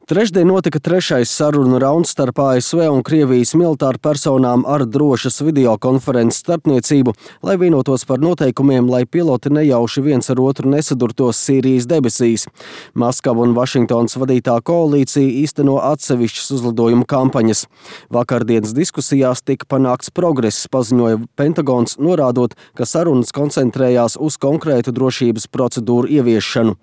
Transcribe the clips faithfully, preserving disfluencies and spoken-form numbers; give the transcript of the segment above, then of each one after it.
Trešdien notika trešais sarunu rauns starp A S V un Krievijas militāru personām ar drošas videokonferences starpniecību, lai vienotos par noteikumiem, lai piloti nejauši viens ar otru nesadurtos Sīrijas debesīs. Maskava un Vašingtonas vadītā koalīcija īsteno atsevišķas uzlidojumu kampaņas. Vakardienas diskusijās tika panākts progress, paziņoja Pentagons, norādot, ka sarunas koncentrējās uz konkrētu drošības procedūru ieviešanu.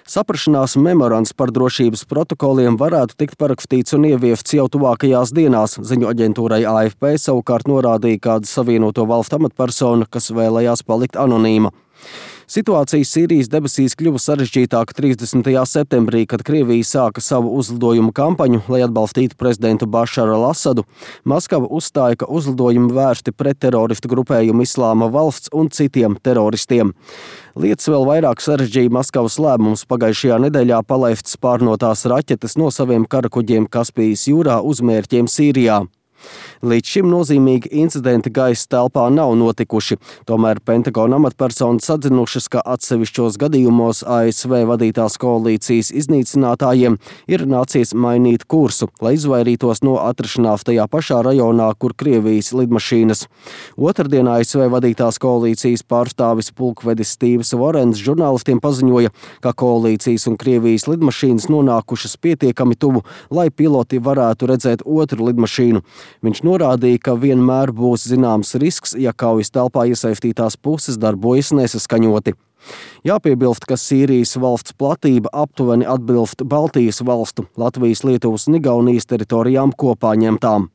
Saprašanās memorands par drošības protokoliem varētu tikt parakstīts un ieviefts jau tuvākajās dienās, ziņu aģentūrai A F P savukārt norādīja kāda Savienoto Valstu amatpersona, kas vēlējās palikt anonīma. Situācija Sīrijas debesīs kļuva sarežģītāka trīsdesmitajā septembrī, kad Krievija sāka savu uzlidojumu kampaņu, lai atbalstītu prezidentu Bašaru al-Asadu. Maskava uzstāja, ka uzlidojumi vērsti pret teroristu grupējumu Islāma valsts un citiem teroristiem. Lietas vēl vairāk sarežģīja Maskavas lēmums pagājušajā nedēļā palaist spārnotās raķetes no saviem karakuģiem Kaspijas jūrā uz mērķiem Sīrijā. Līdz šim nozīmīgi incidenti gaisa telpā nav notikuši, tomēr Pentagona amatpersonas atzinušas, ka atsevišķos gadījumos A S V vadītās koalīcijas iznīcinātājiem ir nācies mainīt kursu, lai izvairītos no atrašanās tajā pašā rajonā, kur Krievijas lidmašīnas. Otrdien A S V vadītās koalīcijas pārstāvis pulkvedis Stīvs Vorens žurnālistiem paziņoja, ka koalīcijas un Krievijas lidmašīnas nonākušas pietiekami tuvu, lai piloti varētu redzēt otru lidmašīnu. Viņš norādīja, ka vienmēr būs zināms risks, ja kaujas telpā iesaistītās puses darbojas nesaskaņoti. Jāpiebilst, ka Sīrijas valsts platība aptuveni atbilst Baltijas valstu, Latvijas, Lietuvas un Igaunijas teritorijām kopā ņemtām.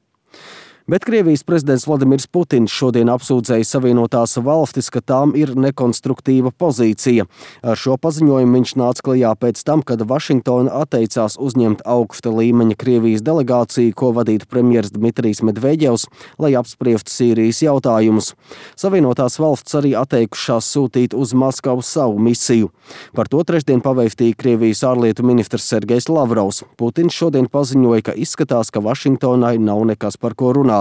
Bet Krievijas prezidents Vladimirs Putins šodien apsūdzēja Savienotās valstis, ka tām ir nekonstruktīva pozīcija. Ar šo paziņojumu viņš nāca klajā pēc tam, kad Vašingtona atteicās uzņemt augsta līmeņa Krievijas delegāciju, ko vadītu premjers Dmitrijs Medvedjevs, lai apspriestu Sīrijas jautājumus. Savienotās valstis arī atteikušās sūtīt uz Maskavu savu misiju. Par to trešdien pavēstīja Krievijas ārlietu ministrs Sergejs Lavrovs. Putins šodien paziņoja, ka izskatās, ka Vašingtonai nav nekas par ko runāt.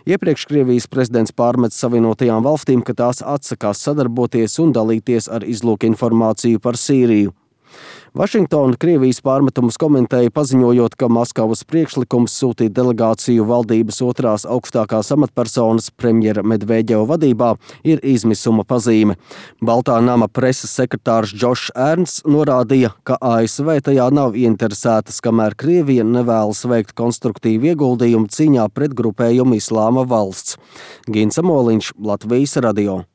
Iepriekš Krievijas prezidents pārmet Savienotajām valstīm, ka tās atsakās sadarboties un dalīties ar izlūkinformāciju par Sīriju. Vašingtona Krievijas pārmetumus komentēja, paziņojot, ka Maskavas priekšlikums sūtīt delegāciju valdības otrās augstākās amatpersonas premjera Medvedjeva vadībā ir izmisuma pazīme. Baltā nama preses sekretārs Džošs Ernsts norādīja, ka A S V tajā nav ieinteresētas, kamēr Krievija nevēlas veikt konstruktīvu ieguldījumu cīņā pret grupējumu Islāma valsts. Gins Amoliņš, Latvijas radio.